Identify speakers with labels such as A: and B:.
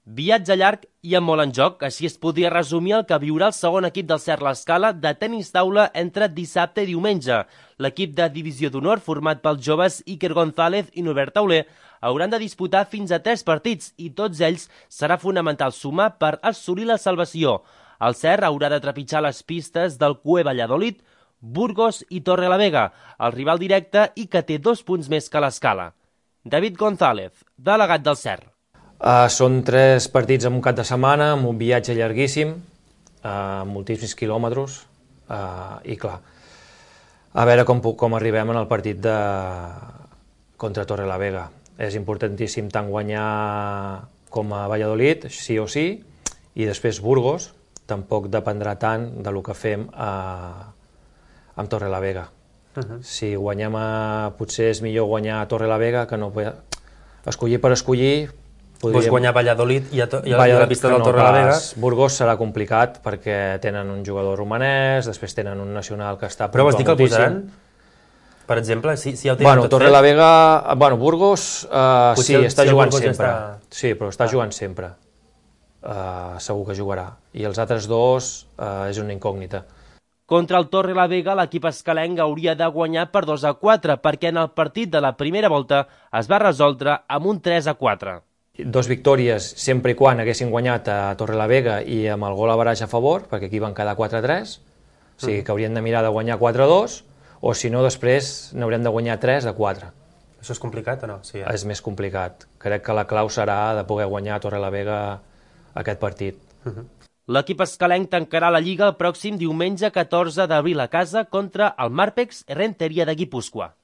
A: Viatge llarg i amb molt en joc, així es podria resumir el que viurà el segon equip del Cert l'Escala de tenis taula entre dissabte i diumenge. L'equip de divisió d'honor, format pels joves Iker González i Norbert Tauler, hauran de disputar fins a 3 partits i tots ells serà fonamental sumar per assolir la salvació. El Cert haurà de trepitjar les pistes del CUE Valladolid, Burgos i Torrelavega, el rival directe i que té 2 punts més que l'Escala. David González, delegat del Cert.
B: Són 3 partits en un cap de setmana, amb un viatge llarguíssim, moltíssims quilòmetres, i clar, a veure com arribem en el partit contra Torrelavega. És importantíssim tant guanyar com a Valladolid, sí o sí, i després Burgos, tampoc dependrà tant del que fem amb Torrelavega. Si guanyem, potser és millor guanyar a Torrelavega que no escollir per escollir.
C: Vols guanyar Valladolid i la pista del Torrelavega?
B: Burgos serà complicat perquè tenen un jugador romanès, després tenen un nacional que està...
C: Però vols dir que el posaran? Per exemple, si ja ho tenen tot fet?
B: Torrelavega... Burgos sí, està jugant sempre. Sí, però està jugant sempre. Segur que jugarà. I els altres dos és una incògnita.
A: Contra el Torrelavega, l'equip escalenc hauria de guanyar per 2-4, perquè en el partit de la primera volta es va resoldre amb un 3-4.
B: 2 victòries sempre i quan haguessin guanyat a Torrelavega i amb el gol average a favor, perquè aquí van quedar 4-3, o sigui que haurien de mirar de guanyar 4-2, o si no després n'haurem de guanyar 3-4.
C: Això és complicat o no? Sí,
B: És més complicat. Crec que la clau serà de poder guanyar a Torrelavega aquest partit.
A: L'equip escalenc tancarà la Lliga el pròxim diumenge 14 d'abril a casa contra el Marpex Errenteria de Guipúscoa.